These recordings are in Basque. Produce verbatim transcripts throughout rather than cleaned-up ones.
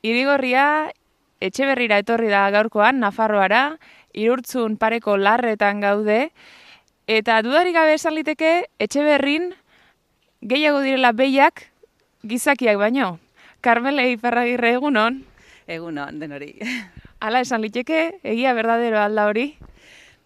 Irigorria Etxeberrira etorri da gaurkoan, Nafarroara, Irurtzun pareko larretan gaude, eta dudarik gabe esan liteke Etxeberrin gehiago direla behiak gizakiak baino. Karmele Iparragirre, egunon? Egunon, denori. Hala esan liteke, egia berdadero alda hori?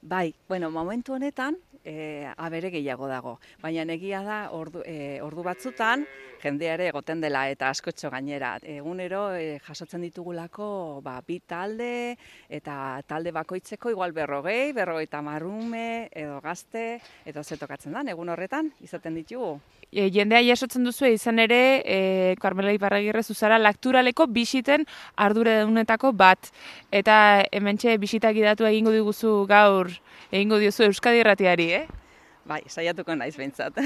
Bai, bueno, momentu honetan, e, abere gehiago dago. Baina egia da, ordu, e, ordu batzutan, jendeare egoten dela eta askotxo gainera. Egunero e, jasotzen ditugulako ba, bi talde eta talde bakoitzeko igual berrogei, berrogeita marrume edo gazte, eta zetokatzen da, egun horretan izaten ditugu. E, jendea jasotzen duzu izan ere, e, Karmela Iparragirre zuzara lakturaleko bisiten arduradunetako bat. Eta hementxe bisita gidatu egingo diguzu gaur, egingo diozu Euskadi Irratiari, eh? Bai, saiatuko naiz behintzat.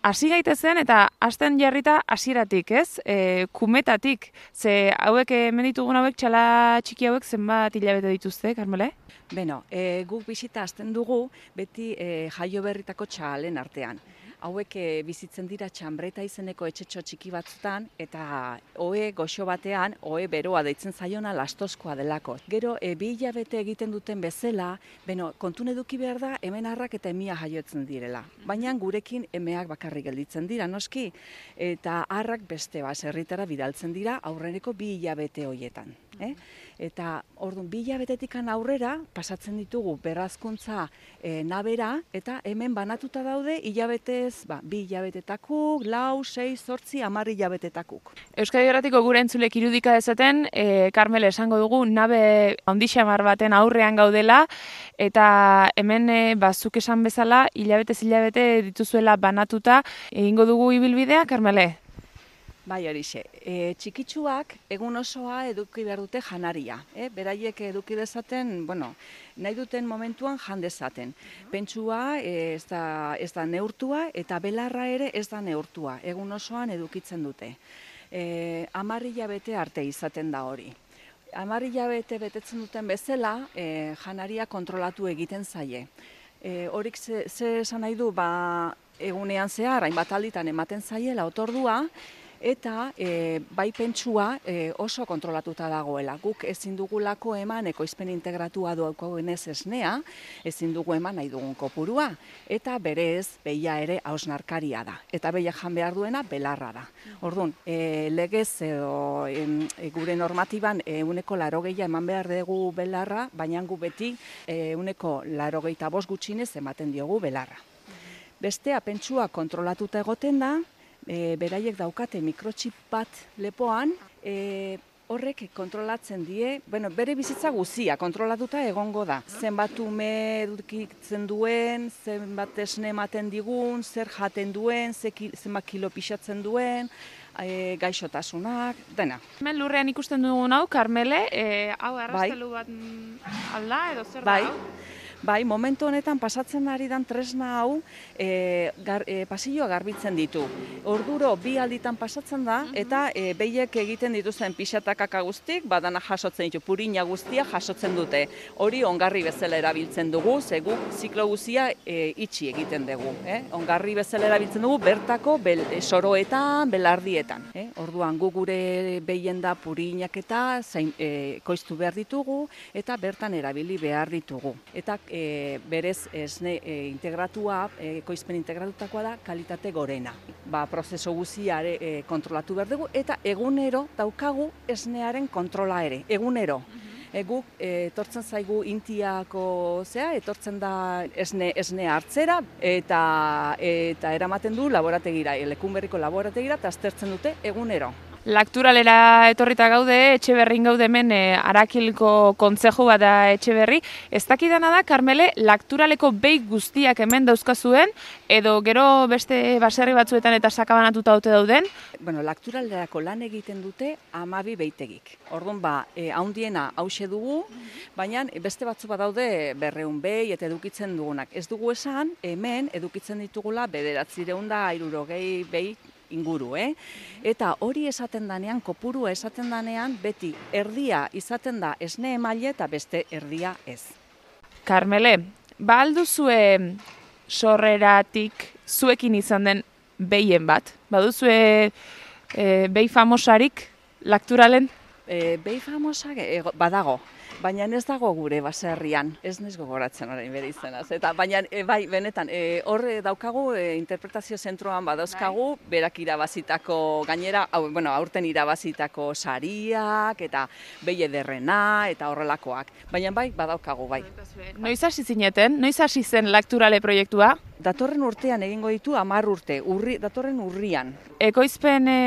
Hasi gaitezen eta hasten jarrita hasieratik, ez? E, kumetatik, ze hauek hemen ditugun hauek txala txiki hauek zenbat hilabete dituzte, Karmele? Beno, e, guk bisita hasten dugu beti e, jaio berritako txalen artean. Hauek e, bizitzen dira Txanbreta izeneko etxetxo txiki batzutan eta ohe goxo batean, ohe beroa deitzen zaiona lastozkoa delako. Gero, e, bi hilabete egiten duten bezala, beno, kontun eduki behar da hemen harrak eta emia jaiotzen direla. Baina gurekin emeak bakarrik gelditzen dira, noski, eta harrak beste baserritara bidaltzen dira aurreneko bi hilabete hoietan. Eh? Eta orduan bi hilabetetikan aurrera pasatzen ditugu berrazkuntza e, nabera eta hemen banatuta daude hilabetez, ba, bi hilabetetakuk, lau, sei, zortzi, hamar hilabetetakuk. Euskadi Irratiko gure entzulek irudika dezaten, e, Karmele esango dugu nabe handixamar baten aurrean gaudela eta hemen e, bazuk esan bezala hilabetez hilabete dituzuela banatuta egingo dugu ibilbidea, Karmele? Bai, horixe. E, txikitsuak egun osoa eduki behar dute janaria. E, beraiek eduki dezaten, bueno, nahi duten momentuan jan dezaten. Pentsua e, ez da, ez da neurtua eta belarra ere ez da neurtua. Egun osoan edukitzen dute. E, hamar hilabete arte izaten da hori. Hamar hilabete betetzen duten bezala, e, janaria kontrolatu egiten zaie. E, horik ze, ze esan nahi du, ba, egunean zehar, hainbat alditan ematen zaiela otordua, eta e, bai pentsua e, oso kontrolatuta dagoela. Guk ezin dugulako eman ekoizpen integratua daukagunez esnea, ezin dugu eman nahi dugun kopurua, eta berez behia ere hausnarkaria da. Eta behia jan behar duena belarra da. Orduan, e, legez edo e, gure normatiban ehuneko laurogeia eman behar dugu belarra, baina gu beti ehuneko laurogeita bost gutxinez ematen diogu belarra. Bestea pentsua kontrolatuta egoten da, E, beraiek daukate mikrochip bat lepoan, e, horrek kontrolatzen die, bueno, bere bizitza guzia kontrolatuta egongo da. Zenbat ume edukitzen duen, zenbat esne ematen digun, zer jaten duen, zenbat kilo pixatzen duen, e, gaixotasunak, dena. Hemen lurrean ikusten dugun hau, Karmele, e, hau arrastelu bat alda edo zer da hau? Bai, momentu honetan pasatzen ari dan tresna hau e, gar, e, pasilloa garbitzen ditu. Orduro bi alditan pasatzen da eta e, behiek egiten dituzten pixatakaka guztik, badana jasotzen ditu, purina guztia jasotzen dute. Hori ongarri bezala erabiltzen dugu, ze guk ziklo guzia e, itxi egiten dugu. Eh? Ongarri bezala erabiltzen dugu bertako bel, e, soroetan, belardietan. Eh? Orduan gu gure behien da purinak eta zain, e, koiztu behar ditugu eta bertan erabili behar ditugu. Eta E, berez esne e, integratua, e, ekoizpen integratutakoa da kalitate gorena. Ba, prozeso guztiare e, kontrolatu behar dugu eta egunero daukagu esnearen kontrola ere, egunero. E, guk e, etortzen zaigu intiako zea, etortzen da esne, esne hartzera eta, eta eramaten du laborategira, Lekunberriko laborategira eta aztertzen dute egunero. Lakturalera etorrita gaude, Etxeberrin gaude hemen e, Arakilko kontzeju bat da Etxeberri. Ez dakidana da, Karmele, lakturaleko behi guztiak hemen dauzkazuen, edo gero beste baserri batzuetan eta sakabanatuta haute dauden? Bueno, lakturalerako lan egiten dute hamabi behitegik. Orduan ba, e, haundiena hause dugu, baina beste batzu bat daude berreun behi eta edukitzen dugunak. Ez dugu esan, hemen edukitzen ditugula bederatzireun da hirurogei behi inguru, eh? Eta hori esaten danean, kopurua esaten danean, beti erdia izaten da esne emaile eta beste erdia ez. Karmele, ba alduzue sorreratik zuekin izan den behien bat? Baduzue e, behi famosarik lakturalen? E, behi famosak e, badago, baina ez dago gure baserrian, ez naiz gogoratzen orain bere izenaz. Eta baina e, bai, benetan, e, hor daukagu e, interpretazio zentroan badauzkagu, bai. Berak irabazitako gainera, hau, bueno, aurten irabazitako sariak eta behi ederrena eta horrelakoak. Baina bai, badaukagu bai. Noiz hasi zineten? Noiz hasi zen Lakturale proiektua? Datorren urtean egingo ditu hamar urte, urri, datorren urrian. Ekoizpen e,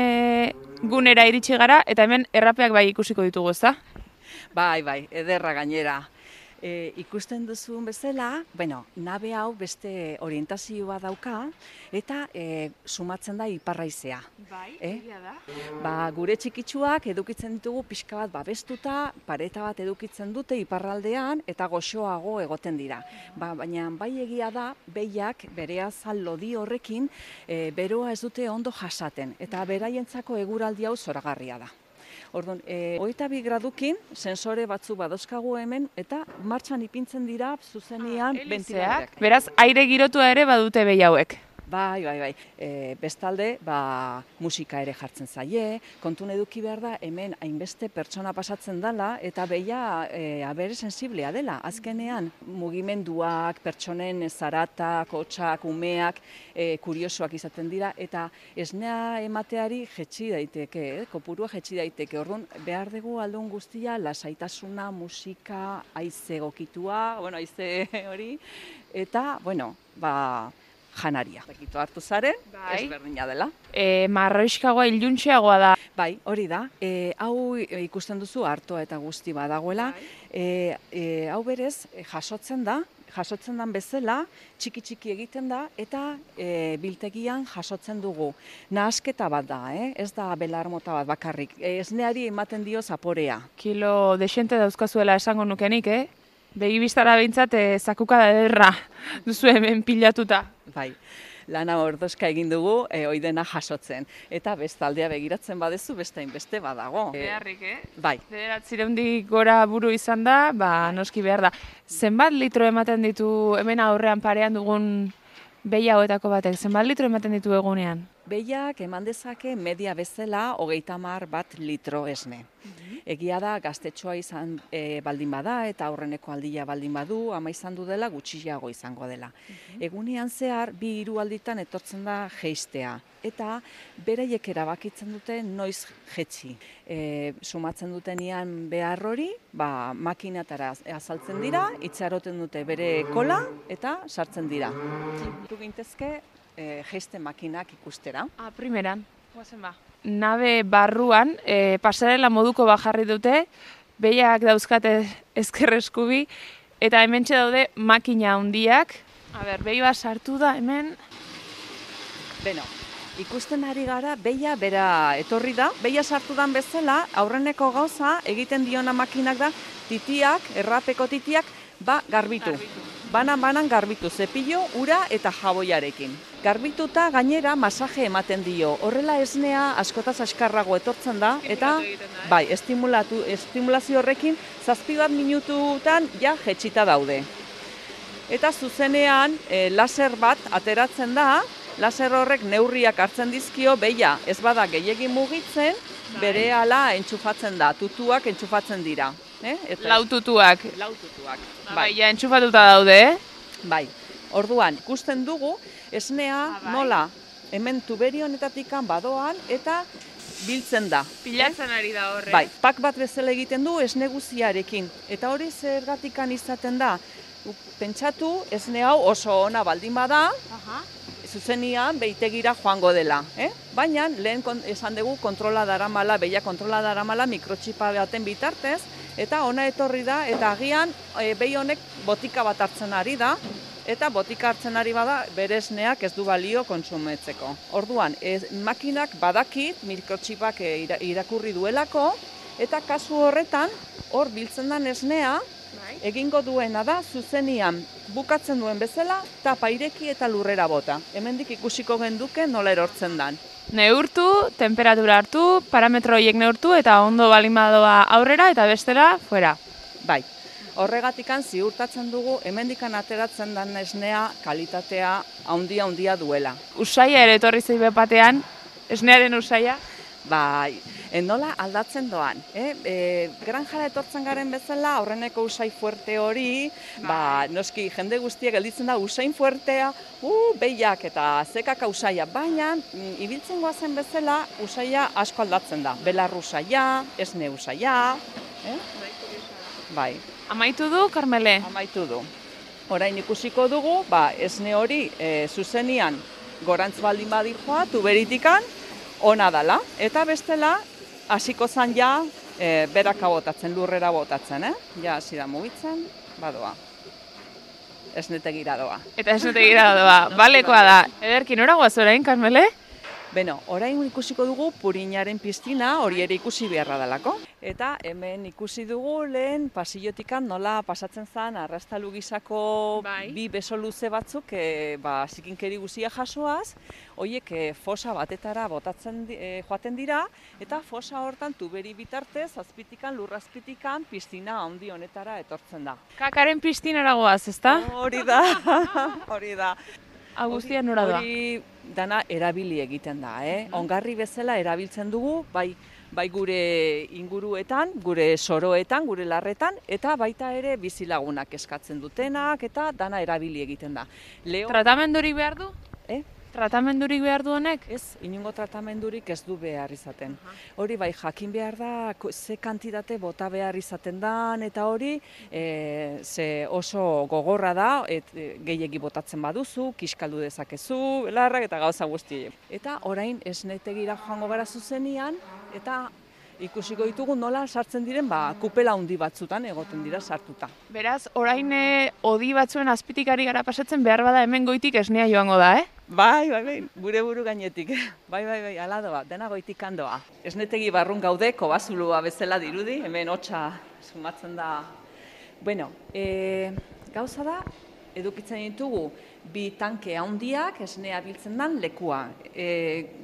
gunera iritsi gara eta hemen errapeak bai ikusiko ditugu, ezta? Bai, bai, ederra gainera. E, ikusten duzun bezala, bueno, nabe hau beste orientazioa dauka eta e, sumatzen da iparraizea. Bai, eh? egia da. Ba, gure txikitsuak edukitzen ditugu pixka bat babestuta, pareta bat edukitzen dute iparraldean eta goxoago egoten dira. Ba, baina bai egia da, behiak bere azal lodi horrekin e, beroa ez dute ondo jasaten eta beraientzako eguraldi hau zoragarria da. Orduan, e, hogeita bi gradukin sensore batzu badozkagu hemen eta martxan ipintzen dira zuzenean ah, ventiladoreak. Beraz, aire girotua ere badute behi hauek. Bai, bai, bai. E, bestalde, ba, musika ere jartzen zaie, kontun eduki behar da, hemen hainbeste pertsona pasatzen dela, eta behia e, abere sensiblea dela. Azkenean, mugimenduak, pertsonen zaratak, hotsak, umeak, e, kuriosoak izaten dira, eta esnea emateari jetxi daiteke, eh? Kopurua jetxi daiteke. Orduan, behar dugu aldun guztia, lasaitasuna, musika, haize gokitua, bueno, haize hori, eta, bueno, ba, janaria. Bekito hartu zaren, bai. Ezberdina dela. E, marroiskagoa iluntxeagoa da. Bai, hori da. E, hau ikusten duzu hartoa eta guzti badagoela. Bai. E, e, hau berez jasotzen da, jasotzen dan bezala, txiki-txiki egiten da, eta e, biltegian jasotzen dugu. Nahasketa bat da, eh? Ez da belar mota bat bakarrik. E, esneari ematen dio zaporea. Kilo desente dauzkazuela esango nukenik, eh? Begi biztara behintzat, e, zakuka da ederra duzu hemen pilatuta. Bai, lana ordozka egin dugu, e, oidena jasotzen. Eta bestaldea begiratzen badezu, beste hainbeste badago. Beharrik, eh? Bai. Bederatzireundik gora buru izan da, ba, noski behar da. Zenbat litro ematen ditu hemen aurrean parean dugun behi hauetako batek? Zenbat litro ematen ditu egunean? Behiak eman dezake media bezala hogeita hamar bat litro esne. Egia da, gaztetxoa izan e, baldin bada eta aurreneko aldia baldin badu, ama izan du dela, gutxiago izango dela. Egunean zehar, bi hiru alditan etortzen da jeistea. Eta beraiek erabakitzen dute noiz jetxi. E, sumatzen dutenean behar hori, ba, makinatara azaltzen dira, itxaroten dute bere kola eta sartzen dira. Du gintezke, e, jeiste makinak ikustera. Ah, primeran. Guazen ba. Nabe barruan, e, pasarela moduko bajarri dute, behiak dauzkate ezker eskubi, eta hementxe daude makina handiak. A ber, behi bat sartu da hemen. Beno, ikusten ari gara, behia bera etorri da, behia sartu dan bezala, aurreneko gauza egiten diona makinak da, titiak, errapeko titiak, ba, garbitu. garbitu. Banan-banan garbitu, zepillo, ura eta jaboiarekin. Garbituta gainera masaje ematen dio. Horrela esnea askotaz askarrago etortzen da, eta bai, estimulatu, estimulazio horrekin zazpi bat minututan ja jetxita daude. Eta zuzenean e, laser bat ateratzen da, laser horrek neurriak hartzen dizkio, behia ez bada gehiegi mugitzen, bere ala entxufatzen da, tutuak entxufatzen dira. Eh? Eta Laututuak. Laututuak. Bai, ja, entxufatuta daude, eh? Bai. Orduan, ikusten dugu, esnea ah, bai. Nola hemen tuberionetatik badoan eta biltzen da. Pilatzen ari da horre. Bai, pak bat bezala egiten du esne guziarekin. Eta hori zergatikan izaten da. Pentsatu, esne hau oso ona baldin bada, Aha. zuzenian behitegira joango dela. Eh? Baina, lehen esan dugu kontrola daramala, behia kontrola daramala mikrotxipa baten bitartez, eta ona etorri da, eta agian e, behi honek botika bat hartzen ari da, eta botika hartzen ari bada bere esneak ez du balio kontsumetzeko. Orduan, ez, makinak badakit mikrotxipak e, irakurri duelako, eta kasu horretan, hor biltzen den esnea, egingo duena da, zuzenian bukatzen duen bezala, tapa ireki eta lurrera bota. Hemendik ikusiko genduke nola erortzen dan. Neurtu, temperatura hartu, parametro horiek neurtu eta ondo balimadoa aurrera eta bestera fuera. Bai, horregatikan ziurtatzen dugu hemendikan ateratzen den esnea kalitatea handia-handia duela. Usaia ere etorri zei bepatean, esnearen usaia? Bai, E, nola aldatzen doan. Eh? E, granjara etortzen garen bezala, horreneko usai fuerte hori, ba, noski jende guztiak gelditzen da usain fuertea, uh, behiak eta zekaka usaia, baina mm, ibiltzen goazen bezala usaia asko aldatzen da. Belar usaia, esne usaia, eh? Bai. Amaitu du, Karmele? Amaitu du. Orain ikusiko dugu, ba, esne hori e, zuzenian gorantz baldin badikoa, tuberitikan, ona dala. Eta bestela, hasiko zan ja, e, beraka botatzen, lurrera botatzen, eh? Ja, hasi da mugitzen, badoa. Esnetegira doa. Eta esnetegira doa, balekoa da. Ederki, nora guaz orain, Karmele? Beno, orain ikusiko dugu Purinaren piztina, hori ere ikusi beharra dalako. Eta hemen ikusi dugu lehen pasillotikan nola pasatzen zen arrastalu gisako bai. bi beso luze batzuk e, ba, zikinkeri guzia jasoaz, horiek e, fosa batetara botatzen e, joaten dira, eta fosa hortan tuberi bitartez, azpitikan, lurrazpitikan, piztina handi honetara etortzen da. Kakaren piztinara goaz, ezta? Hori da, hori da. Hau guztia nora doa? Hori dana erabili egiten da, eh? Ongarri bezala erabiltzen dugu, bai, bai gure inguruetan, gure soroetan, gure larretan, eta baita ere bizilagunak eskatzen dutenak, eta dana erabili egiten da. Leo... Tratamendurik behar du? Eh? Tratamendurik behar du honek? Ez, inongo tratamendurik ez du behar izaten. Hori bai, jakin behar da, ze kantitate bota behar izaten dan, eta hori e, ze oso gogorra da, et, e, gehiegi botatzen baduzu, kiskaldu dezakezu, belarrak eta gauza guzti. Eta orain esnetegira joango gara zuzenian, eta ikusiko ditugu nola sartzen diren, ba, kupela handi batzutan egoten dira sartuta. Beraz, orain e, odi batzuen azpitikari gara pasatzen behar bada hemen goitik esnea joango da, eh? Bai, bai, bai, gure buru gainetik. Bai, bai, bai, ala doa, dena goitik handoa. Esnetegi barrun gaude, kobazulua bezala dirudi, hemen hotsa sumatzen da. Bueno, e, gauza da, edukitzen ditugu bi tanke handiak esnea biltzen dan lekua. E,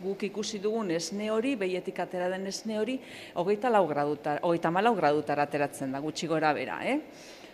guk ikusi dugun esne hori, behietik atera den esne hori, hogeita lau gradutara, hogeita hamalau gradutara ateratzen da, gutxi gora bera, eh?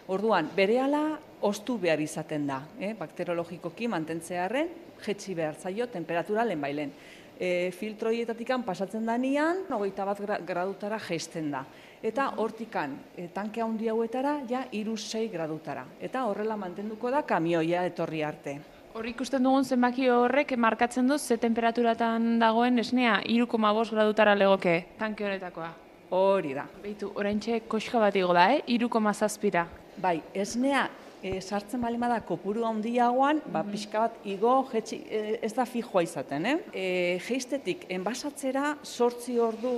Orduan, berehala ostu behar izaten da, eh? Bakteriologikoki mantentzearren, jetxi behar zaio, temperatura lehen bailen. E, filtroietatik pasatzen danean, hogeita bat gradutara jaisten da. Eta hortikan, e, tanke handi hauetara, ja, hiru sei gradutara. Eta horrela mantenduko da kamioia etorri arte. Hor ikusten dugun zenbaki horrek markatzen du ze temperaturatan dagoen esnea hiru koma bost gradutara legoke tanke horretakoa. Hori da. Beitu, oraintxe koxka bat igo da, eh? hiru koma zazpira. Bai, esnea e, sartzen bali bada kopuru handiagoan, ba, pixka bat igo, jetxi, e, ez da fijoa izaten, eh? E, jeistetik enbasatzera zortzi ordu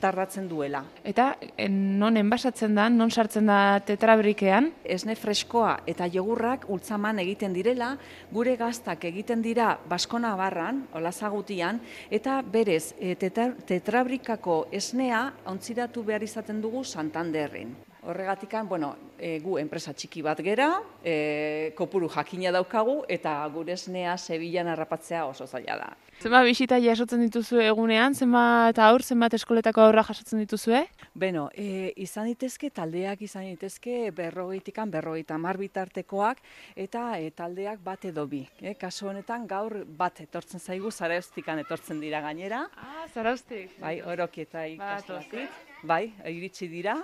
tardatzen duela. Eta non enbasatzen da, non sartzen da tetrabrikean? Esne freskoa eta jogurrak ultzaman egiten direla, gure gaztak egiten dira Baskona barran, olazagutian, eta berez e, tetra, tetrabrikako esnea ontziratu behar izaten dugu Santanderren. Horregatikan, bueno, e, gu enpresa txiki bat gera, e, kopuru jakina daukagu, eta gure esnea Sevillan harrapatzea oso zaila da. Zenbat bisita jasotzen dituzu egunean, zenbat aur, zenbat eskoletako aurra jasotzen dituzue? Beno, e, izan ditezke, taldeak izan ditezke berrogeitikan, berrogeita hamar bitartekoak, eta e, taldeak bat edo bi. E, kasu honetan gaur bat etortzen zaigu, Zarauztikan etortzen dira gainera. Ah, Zarauztik. Bai, Orokieta ikaslatik. Bai, iritsi dira.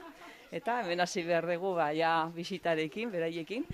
Eta hemen hasi behar dugu, ba, ja, bisitarekin, beraiekin.